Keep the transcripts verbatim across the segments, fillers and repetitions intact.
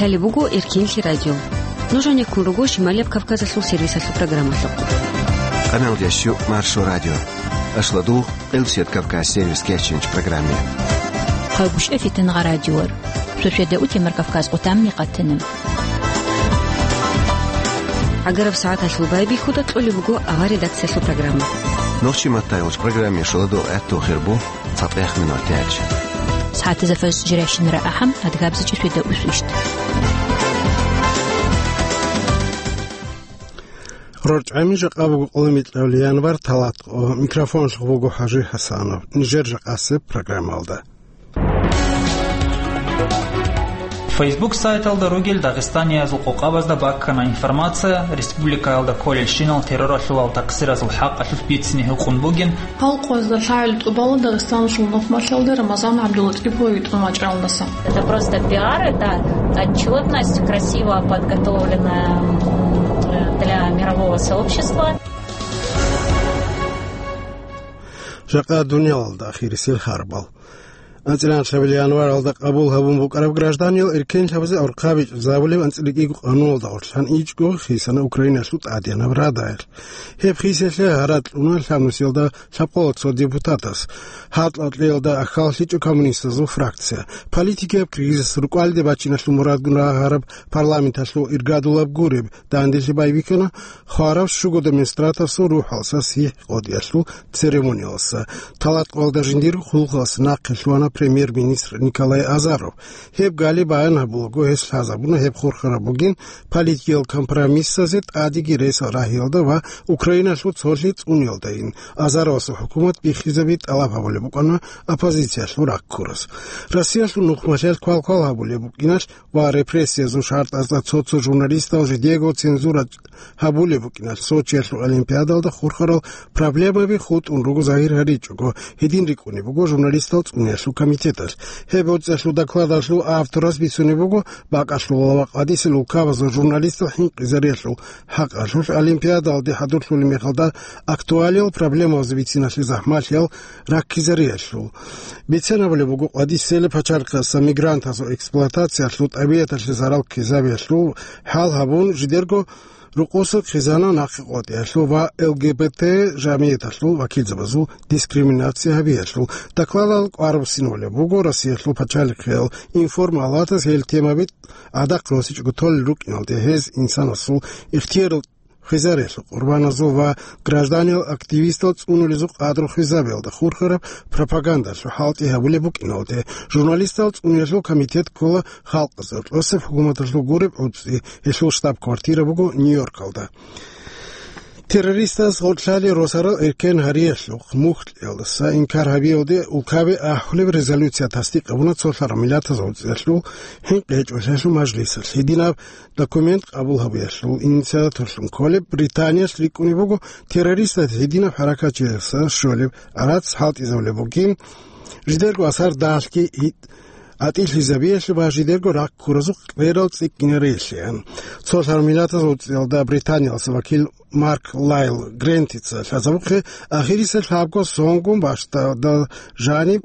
Лъалеб буго Эркинлъи радио. Нуж гьанеккун руго Шималияб Кавказалъул сервисалъул программалъухъ. Къаналдящу Маршо радио. Ашладугъ, Къилсият Кавказ сервис кечинч программе. Хъагушев Фитингъа радиор. Шошеда утемар Кавказ къутамни къатана. Агараб сагӀаталъул байбихьуда кьолеб буго авар редакциялъул программа. Нохчи маттайгъуч программе шуладул гӀатту хирбу. Цапех минутач. СагӀатазда фажр жирайщинара ахӀам, адгабзичӀи шведа усвищт. РорчӀами жакъа буго къоло микьабли январ, талат къо. Микрофонлъухъ буго ХӀажи ХӀасанов. Нижер жакъасеб программалда. Facebook сайталда ругел дагъистаниязул къокъабазда баккана информация, республикаялда кколелщинал терроралъулал такъсиразул хӀакъалъулъ бицине гьукъун бугин. Гьал къоязда лъагӀел тӀубала Дагъистаналъул нухмалъалда Рамазан ГӀабдулатӀипове йитӀун вачӀаралдаса. Это просто пиар, это отчетность, красиво подготовленная, м, для мирового сообщества. Жакъа дуниялалда ахирисел харбал. АнцӀила анлъабилеб январалда къабул гьабун букӀараб гражданиял эркенлъабазе архъабичӀезабулеб анцӀила кӀиго къануналда гъорлъан ичӀго хисана Украиналъул тӀадегӀанаб Радаялъ. Гьеб хисалъе гьаракь кьуна лъабнусиялда лъабкъоялда цо депутатас. Гьаркьа кьеялда ахьаллъичӀо коммунистазул фракция. Политикияб кризис, рукӀалде бачиналъул мурадгун рагьараб парламенталъул иргадулаб гуреб данделъи байбихьана хварав щуго демонстраторасул рухӀалса сихӀ къотӀиялъул церемониялса. Талат къоялда жиндирго хъулухъалъ нахъе лъугьана премьер-министр Николай Азаров. Гьеб гали баян гьабулаго, гьес лъазабуна гьеб хурхараб бугин политикиял компромиссазе тӀадеги ресал рагьиялда ва Украиналъул цолъи цӀуниялдайин. Азаровасул хӀукумат биххизаби тӀалаб гьабулеб букӀана оппозициялъул раккурас. Россиялъул нухмалъиялъ квалквал гьабулеб букӀиналъ ва репрессиязул шартӀазда цо-цо журналистал жидего цензура гьабулеб букӀиналъ Сочиялъул Олимпиадалда хурхарал проблемаби хутӀун руго загьир гьаричӀого, гьедин рикӀкӀунеб буго журналистал цӀуниялъул комитеталъ. Гьеб гӀуцӀиялъул докладалъул авторас бицунеб буго бакӀалъулал ва къватӀисел улкабазул журналистал хӀинкъизариялъул хӀакъалъулъ Олимпиадалде хӀадурлъулеб мехалда актуалиял проблемазе бициналъе захӀмалъиял раккизариялъул. Бицен абулеб буго къватӀисел пачалихъаса мигрантазул эксплуатациялъул, тӀабигӀаталъе зарал ккезабиялъул хӀал гьабун, жидерго рокъосал хъизана нахъе къотӀиялъул ва Л Г Б Т жамигӀаталъул вакилзабазул дискриминация гьабиялъул. Докладал кӀвар буссинабулеб буго Россиялъул пачалихъиял информ-палатас гьел темаби гӀадахъ росичӀого толел рукӀиналде гьез инсанасул ихтиярал хвезариялъул къурбаназул ва гражданиял активистал цӀунулезул къадру хвезабиялда хурхараб пропагандалъул хӀалтӀи гьабулеб букӀиналде. Журналистал цӀуниялъул комитет ккола халкъазул росаб хӀукуматалъул гуреб гӀуцӀи, гьелъул штаб-квартира буго Нью-Йоркалда. Террористас гъоркьлъали росарал эркен гьариялъухъ мухь кьеялдаса инкар гьабиялде улкабе ахӀулеб резолюция тасдикъ гьабуна Цолъараб Миллатазул ГӀуцӀиялъул ХӀинкъи гьечӀолъиялъул мажлисалъ. Гьединаб документ къабул гьабиялъул инициаторлъун кколеб Британиялъ рикӀкӀунеб буго террористаз гьединаб хӀаракатчияса щолеб гӀарац хӀалтӀизабулеб бугин, жидерго асар дагьлъги гьитӀ-, гӀатӀилъизабиялъе ва жидерго раккуразухъ кьерал цӀикӀкӀинариялъеян. Цолъараб Миллатазул ГӀуцӀиялда Британиялъул вакил Марк Лайл Грентица лъазабухъе, ахириса лъабго сонгун бащдаб жаниб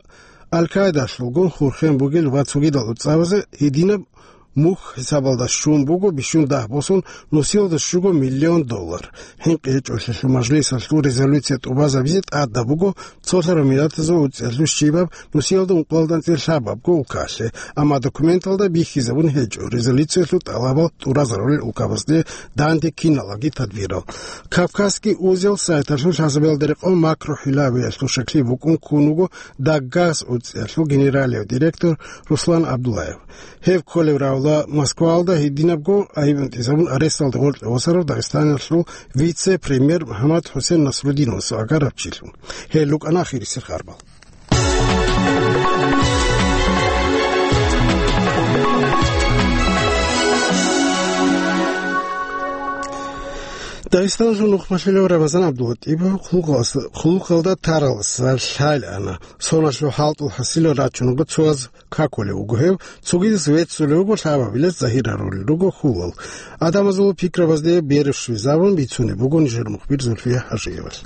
Аль-Каидалъулгун хурхен бугел ва цогидал гӀуцӀабазе гьединаб мухь хӀисабалда щун буго бищун дагь босун нусиялда щуго миллион доллар. ХӀинкъи гьечӀолъиялъул мажлисалъул резолюция тӀубазабизе тӀадаб буго Цолъараб Миллатазул ГӀуцӀиялъул щибаб нусиялда ункъоялда анцӀила лъабабго улкалъе, амма документалда бихьизабун гьечӀо резолюциялъул тӀалабал тӀуразарулел улкабазде данде киналги тадбирал. Кавказский узел сайталъул лъазабиялда рекъон макрохӀилавиялъул шаклъи букӀун ккун вуго Даггас гӀуцӀиялъул генералияв директор Руслан Абдуллаев. Гьев кколеб равла Москваялда гьединабго айиб унтӀизабун аресталда гъоркье восарав Дагъистаналъул вице-премьер МухӀаммад ХӀусен Насрудиновасул агараб чилъун. Гьел рукӀана ахирисел харбал. Дагъистаналъул нухмалъулав Рамазан ГӀабдулатӀипов хъулухъалас-, хъулухъалда таралса лъалаана. Соналъул хӀалтӀул хӀасилал рачун буго цояз какулев вуго гьев, цогидас веццулев вуго, лъабабилаз загьир гьарулел руго хьулал. Адамазул пикрабазде берщвезабун бицунеб буго нижер мухбир Зульфия ХӀажиевалъ.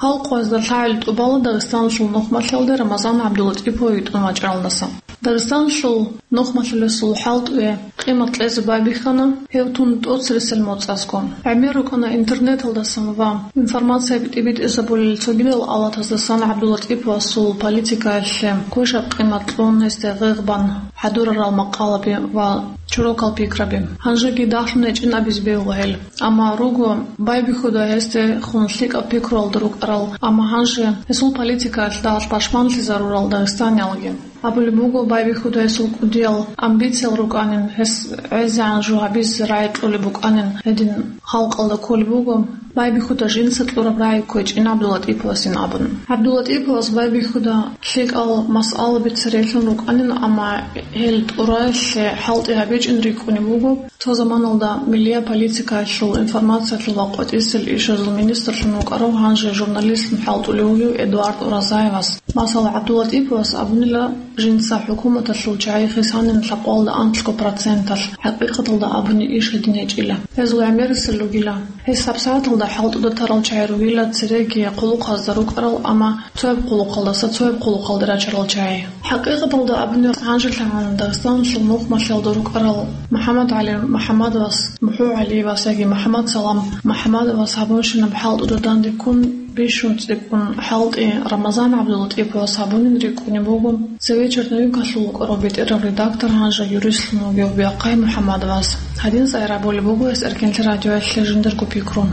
Гьал къоязда лъагӀел тӀубала Дагъистаналъул нухмалъалда Рамазан ГӀабдулатӀипове йитӀун вачӀаралдаса. Дагъистаналъул нухмалъулесул хӀалтӀуе къимат кьезе байбихьана гьев тун тӀоцересел моцӀазго. ГӀемер рукӀана интернеталдасан ва информация битӀи-битӀизабулел цогидал авлатаздасан ГӀабдуллатӀиповасул политикаялъе квешаб къимат кьун, гьесде гъегъ бан хӀадурарал макъалаби ва чорокал пикраби. Гьанжеги дагьлъун гьечӀин абизе бегьула гьел. Амма руго байбихьуда гьесде хун лъикӀаб пикруялда рукӀарал, амма гьанже гьесул политикаялъ дагьалъ пашманлъизарурал дагъистаниялги. Абулеб буго, байбихьуда гьесул кӀудиял амбициял рукӀанин, гьес гӀезегӀан жо гьабизе рагӀи кьолеб букӀанин, гьедин халкъалда кколеб буго. Байбихьуда жинца кьураб рагӀи кквечӀин ГӀабдуллатӀиповасин абун. ГӀабдуллатӀиповас байбихьуда лъикӀал масъалаби церейилъун рукӀанин, амма гьел тӀураялъе хӀалтӀи гьабичӀин рикӀкӀунеб буго. Цо заманалда миллия политикаялъул, информациялъул ва къватӀисел ишазул министрлъун вукӀарав, гьанже журналистлъун хӀалтӀулев вугев Эдуард Уразаевас. Масала, ГӀабдуллатӀиповас абунила, жинца хӀукуматалъул чагӀи хисанин лъабкъоялда анлъго проценталъ, хӀакъикъаталда абуни иш гьедин гьечӀила. Гьезул гӀемерисел ругила. Гьес гьабсагӀаталда хӀалтӀуда тарал чагӀи ругила цереги хъулухъазда рукӀарал, амма цояб хъулухъалдаса цояб хъулухъалде рачарал чагӀи. ХӀакъикъаталда абуни, гьанжелъагӀан Дагъистаналъул нухмалъиялда рукӀарал МухӀаммадгӀали МухӀаммадовас, МухӀу ГӀалиевас яги МухӀаммадсалам МухӀаммадовас гьабунщинаб хӀалтӀуда данде ккун, бищун цӀикӀкӀун хӀалтӀи Рамазан ГӀабдуллатӀиповас гьабунин рикӀкӀунеб буго. Цеве черновикалъул вукӀарав бетӀерав редактор, гьанже юристлъун вугев Биахъай МухӀаммадовас. Гьадин цӀайрабулеб буго гьес Эркенлъи радиоялъе жиндирго пикру.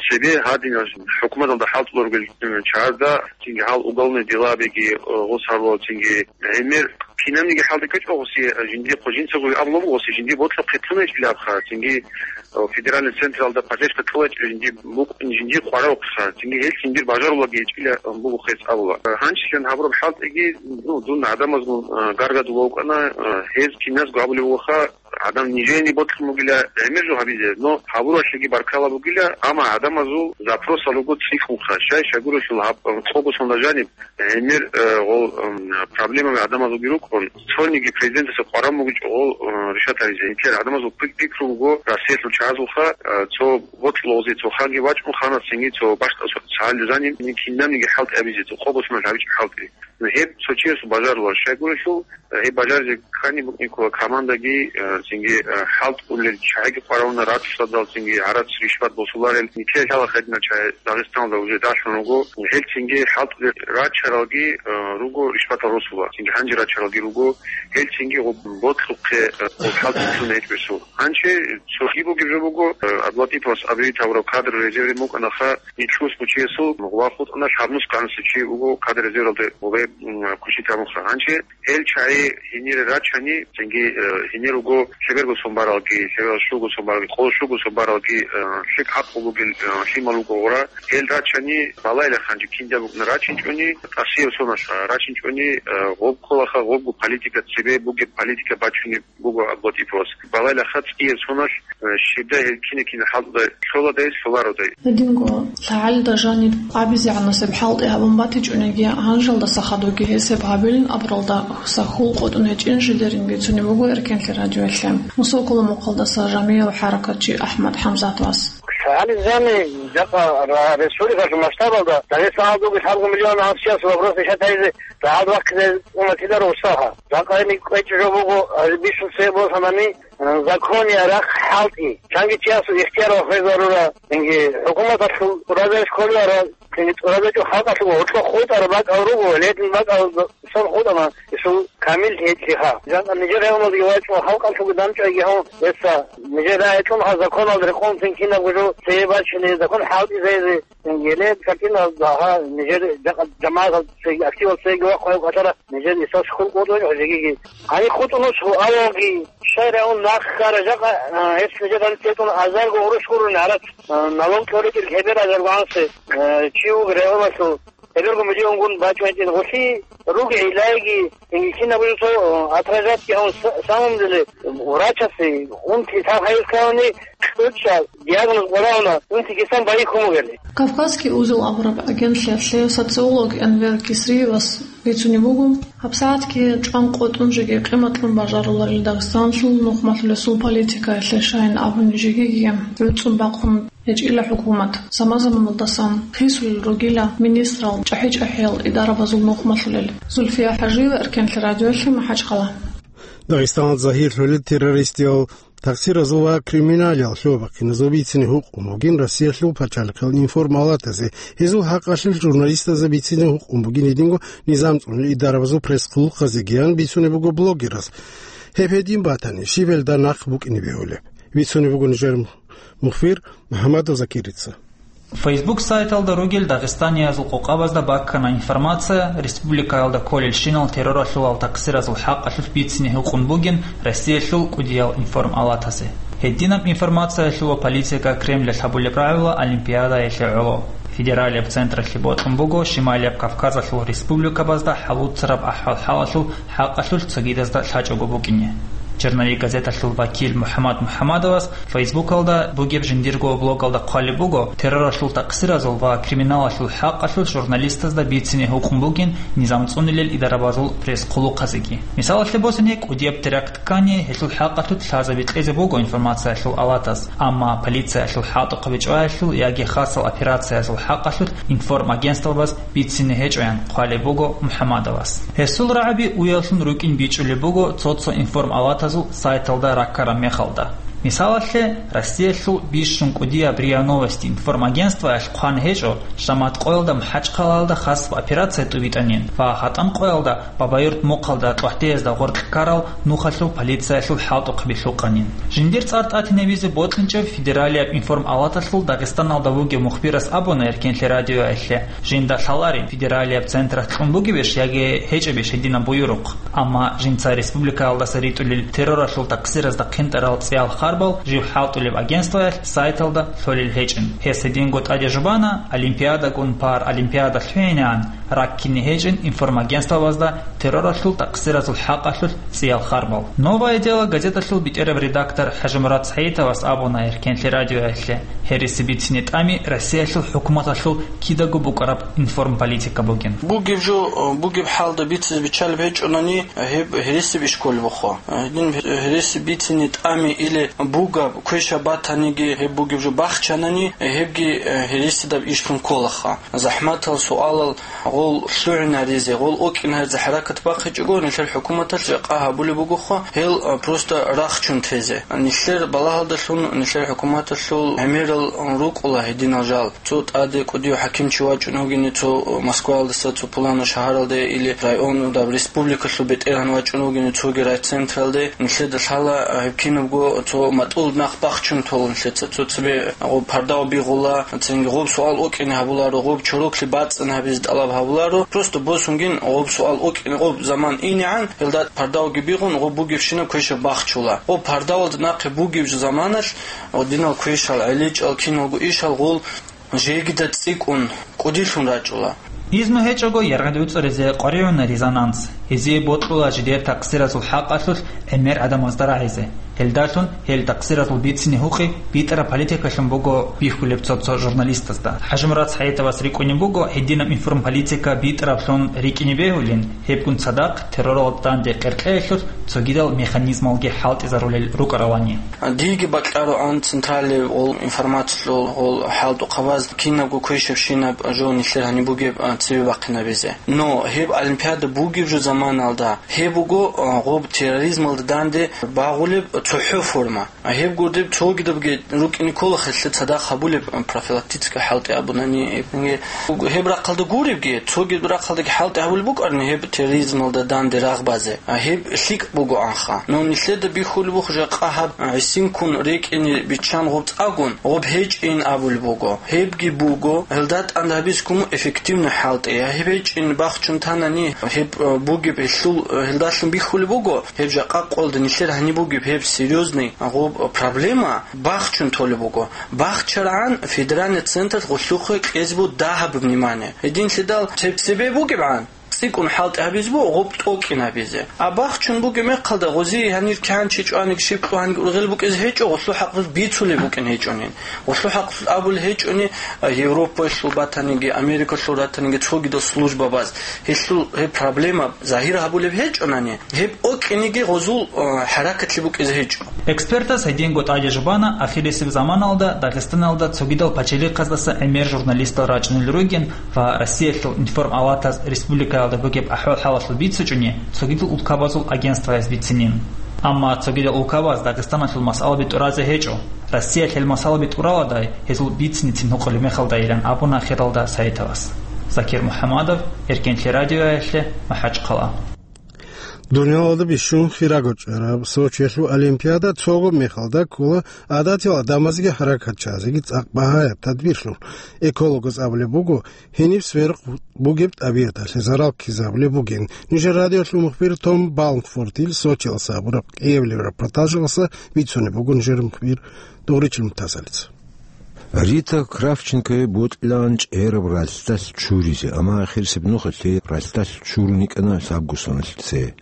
Цебе гьадинал хӀукуматалда хӀалтӀулел ругел чагӀазда, цинги гьал уголовный делабиги, э, гъос гьарулел, цинги гӀемер кинабниги хӀалтӀи ккечӀо гъоси, э, жиндихъ жинцаго абулеб буго гъоси жиндие бокьухъе кьун гьечӀилабха, цинги, э, федеральный централда поддержка кьола гьечӀила жиндие букӀ-, жиндие къваравухъеха, цинги гьел жиндир бажарулаги гьечӀила, э, буго хъес абула. Э, гьанчилъан гьабураб хӀалтӀиги, ну, дун гӀадамазгун, э, гаргадулев вукӀана, э, гьез киназго абулеб бугоха, гӀадан нижееги бокьун бугила гӀемер жо гьабизе, но гьабуралъеги баркала бугила, амма гӀадамазул запросал руго цӀикӀкӀунха, щай-щайгурелъул гьаб, къого сонда жаниб гӀемер, э, гъол, м, проблемаби гӀадамазулги рукӀун, цониги президентасе къваран бугичӀо гъол, э, решать гьаризе. Гьелъ гӀадамазул пик-, пикру буго, Россиялъул чагӀазулха, э, цо бокьулазе, цо ханги вачӀун ханасинги цо бащдаб цо цогидал жаниб кинабниги хӀалтӀи гьабизе, цо къого соналъ гьабичӀеб хӀалтӀи. Гьеб цо чиясул бажарулар, щайгурелъул, гьеб бажаризе ккани букӀинккула командаги, э, цинги, э, хӀалтӀулел чагӀиги къваригӀуна, рацӀцӀадал цинги гӀарац, ришват босуларел, нилъее лъала гьединал чагӀи Дагъистаналда уже далъун руго. Гьел цинги хӀалтӀулел рачаралги, э, руго, ришватал росула, цинги гьанже рачаралги руго. Гьел цинги гъоб-, бокьухъе, э, гъоб хӀалтӀи кьуна гьечӀеб гьесул. Гьанже цоги бугеб жо буго, э, ГӀабдуллатӀиповас абизе гьабураб кадр резерве букӀанаха, нилъ ус бучиясул гъуба хутӀана, лъабнус кканасев чи вуго кадр резервалде гъубе, м, кучи тамуха. Гьанже гьел чагӀи гьенире рачани, цинги, э, гьенир руго лъеберго сон баралги, лъеберал щуго сон баралги, къоло щуго сон баралги, э, лъикӀ гӀакълу бугел, э, лъимал руго гъура. Гьел рачани балайла ханчи кинда букӀна рачинчӀони, тӀасияб соналъ рачинчӀони, э, гъоб кколаха, гъобго политика цебе бугеб политика бачунеб буго ГӀабдуллатӀиповас. Балайла ха цӀияб соналъ, э, щибдай гьел кина-кина хӀалтӀудай лъоладай, лъолародайги. Гьединго лъагӀалида жаниб абизегӀанасеб хӀалтӀи гьабун батичӀониги, гьанжалдаса хадуги гьесеб гьабилин абуралда, гьуса хьул къотӀун гьечӀин жидерин бицунеб буго Эркенлъи радиоялъе Мусо Кулумухъалдаса жамигӀав хӀаракатчи АхӀмад ХӀамзатовас. ЛъагӀалида жаниб жакъа ра-, республикалъул масштабалда Дагъистаналда бугеб лъабго миллион гӀасиясул вопрос решать гьаризе рагӀалда вахъизе уна кидаро устаха. Жакъа гьениб кӀвечӀеб жо буго, гьазиб бищун цебе босанани, э, законияб рахъ хӀалтӀи. Чанги чиясул ихтияр ва хвезарура, цинги хӀукуматалъул тӀуразаеш кколевара, цинги тӀуразачӀул халкъалъул гьоркьоб хутӀараб бакӀал руго, ледин бакӀал сон хутӀана, гьесул камил гьечӀлъиха. Жакъа нижер регьуналдеги вачӀун халкъалъулги дандчӀвайги гьавун, гьесда нижер рагӀи кьун гьаб законалда рекъон цин кинабго жо цебе бачине закон хӀалтӀизаризе. Гьеле картиналда гьа нижер жакъа жамагӀатал цеги, активал цеги вахъун гьев кӀалъара, нижер исалъ хьул къотӀун гьев жегиги. Гьаниб хутӀун ус гьавалги, щай рагӀун нахъ хьара жакъа, а, гьес нижер гьаниб тетун азарго гъурущ гурони гьарат, а, налог кьолеб гьебер азарго гӀанси, а, чи вуго регьуналъул, гьеберго миллионгун бачӀун гьечӀин гъулъи ругел гӀиллаги, гьениб кинабго жо цо, а, отражать гьавун са-, самом деле врачасе унти лъаб гьайилъ ккани, кьучӀа диагноз къваригӀуна, унти гьесан байихьун бугели. Кавказский узел абураб агентлъиялъе социолог Энвер Кисриевас бицунеб буго, гьабсагӀатги чӀван къотӀун жеги къиматлъун бажаруларел Дагъистаналъул нухмалъулесул политикаялъе щайин абуни жегиги гӀуцӀун бахъун гьечӀила хӀукумат, заман-заманалдасан хисулел ругила министрал, чӀахӀи-чӀахӀиял идарабазул нухмалъулел. Зульфия ХӀажиева, Эркенлъи радиоялъе, МахӀачхъала. Дагъистаналда загьирлъулел террористиял такъсиразул ва криминалиял лъугьа-бахъиназул бицине гьукъун бугин Россиялъул пачалихъал информалатазе, гьезул хӀакъалъулъ журналистазда бицине гьукъун бугин гьединго низам цӀунел идарабазул пресс-хъулухъазегиян бицунеб буго блогерас. Гьеб гьедин батани, щиб гьелда нахъ букӀине бегьулеб? Бицунеб буго нижер мухбир МухӀаммадов Закирица. Facebook сайталда ругел дагъистаниязул къокъабазда баккана информация, республикаялда кколелщинал терроралъулал такъсиразул хӀакъалъулъ бицине гьукъун бугин Россиялъул кӀудиял информалатазе. Гьединаб информациялъул ва политика Кремлалъ гьабулеб рагӀула Олимпиадаялъе гӀоло. Федералияб централъе бокьун буго Шималияб Кавказалъул республикабазда хӀалуцараб ахӀвал-хӀалалъул хӀакъалъулъ цогидазда лъачӀого букӀине. Черновик газеталъул вакил МухӀаммад МухӀаммадовас Фейсбукалда бугеб жиндирго блогалда хъвалеб буго терроралъул такъсиразул ва криминалалъул хӀакъалъулъ журналистазда бицине гьукъун бугин низам цӀунилел идарабазул пресс-хъулухъазеги. Мисалалъе босине, кӀудияб теракт ккани, гьелъул хӀакъалъулъ лъазаби кьезе буго информациялъул алатаз, амма полициялъул хӀалтӀухъаби чӀваялъул яги хасал операциязул хӀакъалъулъ информагентствабаз бицине гьечӀоян хъвалеб буго МухӀаммадовас. Гьесул рагӀаби уяллъун рукӀин бичӀчӀулеб буго цо-цо информалатазул сайталда раккараб мехалда. Мисалалъе, Россиялъул бищун кӀудияб РИА Новости информагентствоялъ хъван гьечӀо, шамат къоялда МахӀачхъалаялда хасаб операция тӀубитӀанин ва гьатӀан къоялда Бабаюрт мухъалда ТӀохӀдеязда гъоркь ккарал нухалъул полициялъул хӀалтӀухъаби лъукъанин. Жиндир цӀар тӀатинабизе бокьинчӀеб федералияб информалаталъул Дагъистаналда вугев мухбирас абуна Эркенлъи радиоялъе, жинда лъаларин, федералияб централъ кьун бугебищ яги гьечӀебищ гьединаб буюрухъ. Амма жинца республикаялдаса ритӀулел терроралъул такъсиразда хъинтӀарал цӀиял харбал жив хӀалтӀулеб агентствоялъ сайталда лъолел гьечӀин. Гьес гьединго тӀаде жубана, Олимпиадагун Паралимпиада лъугӀинегӀан, раккине гьечӀин информагентствабазда терроралъул такъсиразул хӀакъалъулъ цӀиял харбал. «Новое дело» газеталъул бетӀераб редактор ХӀажимурад СагӀитовас абуна Эркенлъи радиоялъе, гьереси бицине тӀами Россиялъул хӀукуматалъул кидаго букӀараб информполитика бугин. Бугеб жо, бугеб хӀалда бицизе биччалеб гьечӀонани, гьеб гьересиб иш кколеб буго. Гьедин гьереси бицине тӀами или бугеб квешаб батаниги, гьеб бугеб жо бахчанани, гьебги гьересидаб ишлъун кколаха. ЗахӀматал суалал гъол лъугӀинаризе, гъол окӀинаризе хӀаракат бахъичӀого, нилъер хӀукуматалъ жакъа гьабулеб бугоха, гьел, а, просто рахчун тезе. Нилъер балагьалдалъун, нилъер хӀукуматалъул гӀемерал рукӀула гьединал жал. Цо тӀаде кӀудияв хӀакимчи вачӀун вугин, цо Москваялдаса, цо пуланав шагьаралде или районалда, республикалъул бетӀергьан вачӀун вугин, цоги райцентралде. Нилъеда лъала, а, гьеб кинабго цо матӀул нах бахчун толун нилъеца, цо цебе гъоб пардав бигъула, цинги гъоб суал окӀине гьабуларо, гъоб чороклъи бацӀцӀан гьабизе тӀалаб гьабуларо. Просто босунгин гъоб суал окӀине, гъоб заман инегӀан, гьелда пардавги бигъун, гъоб бугебщинаб квешаб бахчула. Гъоб пардавалда нахъе бугеб жо заманалъ, гъодинал квешал, гӀелечӀал, киналго ишал гъол жегида цӀикӀкӀун кӀудилъун рачӀула. Изну гьечӀого яргъи дуцӀаризе къваригӀуна резонанс. Гьезие бокьула жидер такъсиразул хӀакъалъулъ гӀемер гӀадамазда рагӀизе. Гьелдалъун гьел такъсиразул бицине гьукъи битӀараб политикалъун буго бихьулеб цо-цо журналистазда. ХӀажимурад СагӀитовас рикӀкӀунеб буго гьединаб информполитика битӀараблъун рикӀкӀине бегьулин, гьебгун цадахъ терроралда данде къеркьеялъулъ цогидал механизмалги хӀалтӀизарулел рукӀаралани. Диги бакьароан централияб гъол информациялъул гъол хӀалтӀухъабаз кинабго квешабщинаб жо нилъер гьаниб бугеб, а, цебе бахъинабизе. Но гьеб олимпиада бугеб жо заманалда гьеб буго, а, гъоб терроризмалда данде багъулеб цохӀо форма. А гьеб гурдеб цогидабги рукӀине ккола, хелъе цадахъ гьабулеб, а, профилактический хӀалтӀи абунани, гьеб рахъалда гуребги, цогидаб рахъалдаги хӀалтӀи гьабулеб букӀарни гьеб терроризмалда данде рагъ базе. А гьеб лъикӀ бугоанха. Но нилъеда бихьулеб буго жакъа гьаб гӀисинккун рекӀине биччан гъоб цӀагун, гъоб гьечӀин абулеб буго. Гьебги буго, гьелда тӀад гьабизе ккун эффективный хӀалтӀи. Я гьеб гьечӀин бахчун танани, гьеб, э, бугеб гьелъул, э, гьелдалъун бихьулеб буго, гьеб жакъа къоялда нилъер гьаниб бугеб гьеб серьёзный гъоб проблема бахчун толеб буго. БахчарагӀан федеральный централъ гъуллъухъе кьезе буго дагьаб внимание. Гьединлъидал цеб-, цебе бугебгӀан, цӀикӀкӀун хӀалтӀи гьабизе буго гъоб тӀокӀин гьабизе. А бахчун бугеб мехалда гъози гьанир кянчи чӀваниги, щиб кьванги ургъел букӀизе гьечӀо, гъуллъу хӀакълъулъ бицулеб букӀин гьечӀонин. Гъуллъу хӀакълъулъ абулеб гьечӀони, а, Европаялъул батаниги, Америкалъул ратаниги, цогидал службабаз. Гьелъул гьеб проблема загьир гьабулеб гьечӀонани, гьеб окӀиниги гъозул, а, хӀаракатлъи букӀизе гьечӀо. Экспертас гьединго тӀаде жубана ахирисеб заманалда Дагъистаналда цогидал пачалихъаздаса гӀемер журналистал рачӀунел ругин ва Россиялъул информалатаз республика Бугеб ахӀвал-хӀалалъул бицичӀони цогидал улкабазул агентстваяз бицинин. Амма цогидал улкабаз Дагъистаналъул масъалаби тӀуразе гьечӀо. Россиялъ гьел масъалаби тӀураладай, гьезул бицинецин гьукъулеб мехалдайилан абуна Хиралда Саитовас. Закир МухӀаммадов, Эркенлъи радиоялъе, МахӀачхъала. Дунялалда бищун хирого чӀараб Сочиялъул олимпиада цого мехалда ккола гӀадатиял гӀадамазеги хӀаракатчиязеги цӀакъ багьаяб тадбирлъун. Экологаз абулеб буго, гьениб сверухъ бугеб тӀабигӀаталъе зарал ккезабулеб бугин. Нижер радиолъул мухбир Том Балмфортил Сочиялъа гьабураб кӀиабилеб репортажалъа бицунеб буго нижер мухбир Дугъричил Мутасалица. Рита Кравченкое бокьилаан чӀераб ралъдалъ чуризе, амма ахирисеб нухалъе ралъдалъ чурун йикӀана лъабго соналъ цее.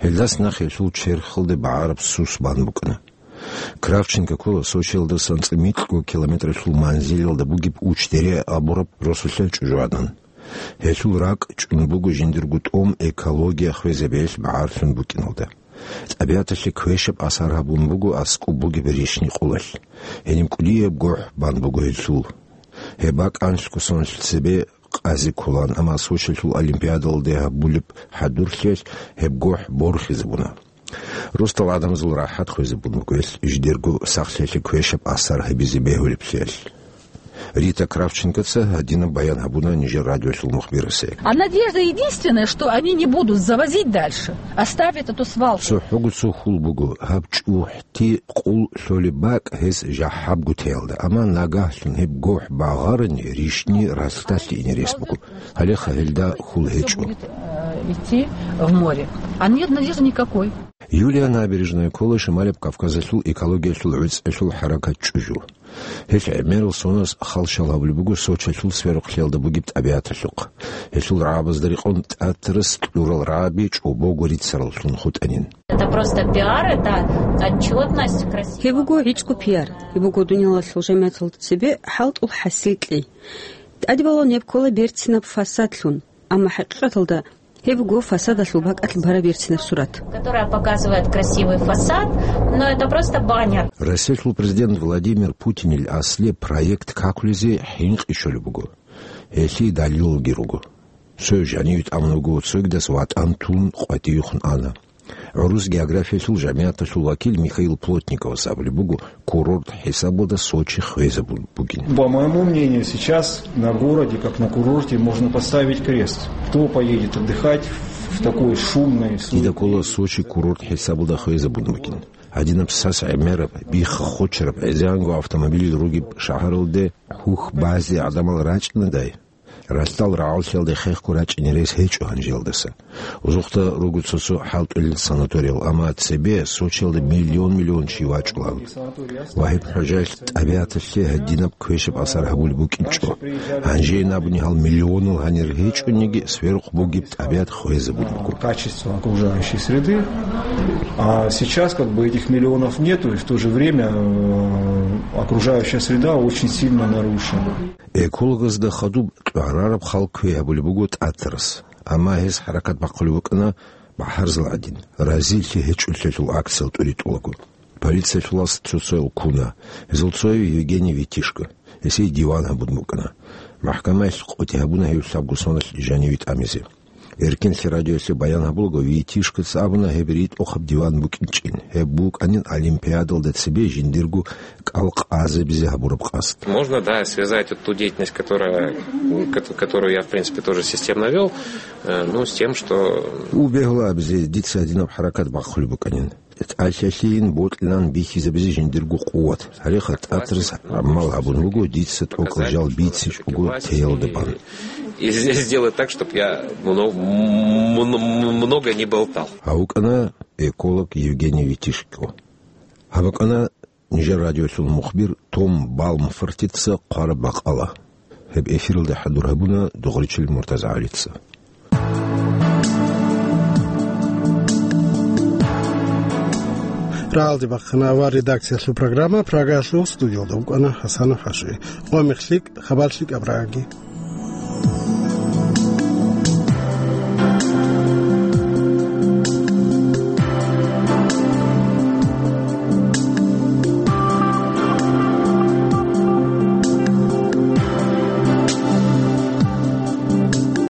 Гьелдас нахъе гьелъул черхалде багӀараб сус бан букӀана. Кравченко ккола Сочиялдасан цӀи микьго километралъул манзилалда бугеб Уч-Дере абураб росулъа чӀужугӀадан. Гьелъул ракӀ чӀун буго жиндирго тӀом экология хвезабиялъ багӀарлъун букӀиналда. ТӀабигӀаталъе квешаб асар гьабун буго аскӀоб бугеб рищни къулалъ. Гьениб кӀудияб гохӀ бан буго гьелъул. Гьеб бакӀанлъго соналъ цебе къазе кколаан, амма Сочиялъул олимпиадалде гьабулеб хӀадурлъиялъ гьеб гохӀ борхизабуна. Росдал гӀадамазул рахӀат хвезабун буго гьелъ жидерго сахлъиялъе квешаб асар гьабизе бегьулеблъиялъ. Рита Кравченкоца гьадинаб баян гьабуна нижер радиолъул мухбирасе. А надежда единственная, что они не будут завозить дальше, оставят эту свалку. ЦохӀого цо хьул буго, гьаб чӀухӀти къул лъолеб бакӀ гьес жахӀабго теялда, амма нагагьлъун гьеб гохӀ багъарани, рищни ралъдалъе ине рес буго. Гьалеха гьелда хьул гьечӀо. Будет, э, идти в море. А нет надежды никакой. Юлия Набережная ккола Шималаб Кавказалъул экологиялъул гӀуцӀалъул хӀаракат чӀужу. Гьелъ гӀемерал соназ халщал гьабулеб буго Сочиялъул сверухълъиялда бугеб тӀабигӀаталъухъ. Гьелъул рагӀабазда рекъон тӀатарас кьурал рагӀаби чӀобого рицараллъун хутӀанин. Это просто пиар, это отчетность, красиво. Гьеб буго гӀицӀго пиар. Гьеб буго дуниялалъул жамигӀаталда цебе хӀалтӀул хӀасил кьей. ТӀадбалун гьеб ккола берцинаб фасадлъун, амма хӀакъикъаталда гьеб буго фасадалъул бакӀалъ бараб берцинаб сурат. Которая показывает красивый фасад, но это просто баннер. Россиялъул президент Владимир Путинил аслияб проект какулезе хӀинкъи щолеб буго. Гьелъие далилалги руго. Цояв жаниве тӀамун вуго, цогидас ватӀан тун къватӀивехун ана. ГӀурус географиялъул жамигӀаталъул вакил Михаил Плотниковас абулеб буго, курорт хӀисабалда Сочи хвезабун бугин. По моему мнению, сейчас на городе, как на курорте, можно поставить крест. Кто поедет отдыхать в такой шумной, суетной... Дида ккола Сочи курорт хӀисабалда хвезабун бугин. Гьадинаб сас гӀемераб, бихха-хочараб, гӀезегӀанго автомобилил ругеб шагьаралде хьухь базе гӀадамал рачӀинадай, ралъдал рагӀаллъиялде хехго рачӀине рес гьечӀо гьанжеялдаса. Узухъда руго цо-цо хӀалтӀулел санаториял, амма цебе Сочиялда миллион-миллион чи вачӀулан. Вагьиб ХӀужаялъ тӀабигӀаталъе гьадинаб квешаб асар гьабулеб букӀинчӀо. Гьанже абуни гьал миллионал гьанир гьечӀониги, сверухъ бугеб тӀабигӀат хвезабун буго. Качество окружающей среды. А сейчас как бы этих миллионов нету, и в то же время, э, окружающая среда очень сильно нарушена. Экологазда хадуб кьварараб хал квей гьабулеб буго тӀатарас, амма гьес хӀаракат бахъулеб букӀана бахӀарзал гӀадин, разилъи гьечӀолъиялъул акциял тӀуритӀулаго. Полициялъулас цо-цоял ккуна, гьезул цояв Евгений Витишко, гьесие диван гьабун букӀана. МахӀкамаялъ къотӀи гьабуна гьев лъабго соналъ жаниве тӀамизе. Эркенлъи радиоялъе баян гьабулаго, Витишкоца абуна гьеб ритӀухъаб диван букӀинчӀин. Гьеб букӀанин олимпиадалда цебе жиндирго кӀал къазабизе гьабураб къасд. Можно, да, связать вот ту деятельность, которая, кото-, которую я, в принципе, тоже системно вёл, э, ну, с тем, что... Убегьула абизе дица гьадинаб хӀаракат бахъулеб букӀанин. ТӀалъалъейин бокьилан бихьизабизе жиндирго къуват. Гьале хатӀатарас гӀамал гьабун буго дица тӀокӀал жал бицичӀого теялда бан. И здесь сделать так, чтоб я мно-, мно-, много не болтал. Гьав вукӀана эколог Евгений Витишко. Гьаб букӀана нижер радиолъул мухбир Том Балмфортица хъвараб бакъала. Гьеб эфиралда хӀадур гьабуна Дугъричил МуртазагӀалица. Рагьалде бахъана авар редакциялъул программа, Прагаялъул студиялда вукӀана ХӀасанов ХӀажи. Къо мех лъикӀ, хабар лъикӀаб рагӀаги.